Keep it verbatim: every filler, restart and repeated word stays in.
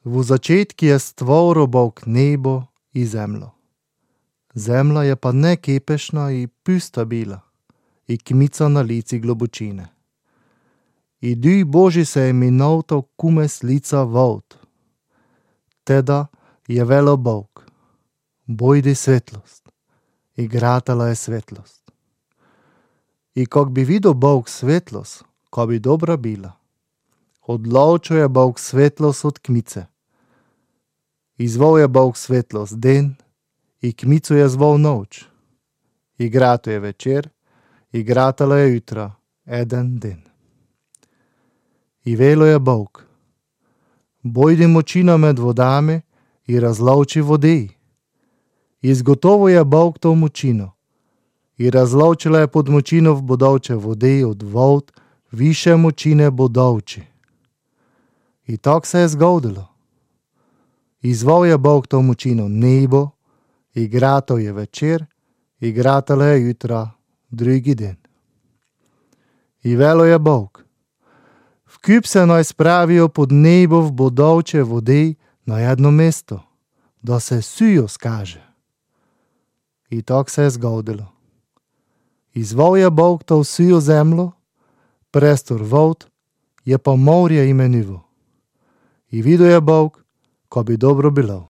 V začetku je stvoril Bog nebo i zemlju. Zemlja je pa nekepešna i pusta bila, i kmica na lici globočine. I duh Božji se je minutao kume s lica vod. Teda je velo Bog, bojdi svetlost, i gratala je svetlost. I kak bi videl Bog svetlost, ko bi dobra bila, odločil je Bog svetlost od kmice. Izvol je Bog svetlost den, i kmicu je zvol noč. I grato je večer, i gratala je jutra, eden den. I velo je Bog, bojdi močina med vodami i razloči vodi. Izgotovo je Bog to močino i razločila je pod močino v bodoče vodi od vod više močine bodovči. I tak se je zgodilo. Izvol je Bog to močino nebo, i grato je večer, i gratala je jutra, drugi den. I velo je Bog, vkup se naj spravijo pod nebo v bodovče vodi na jedno mesto, da se sujo skaže. I tak se je zgodilo. Izvol je Bog to sujo zemljo, prestor vod je pa morje imenivo. I videl je Bog, ko bi dobro bilo.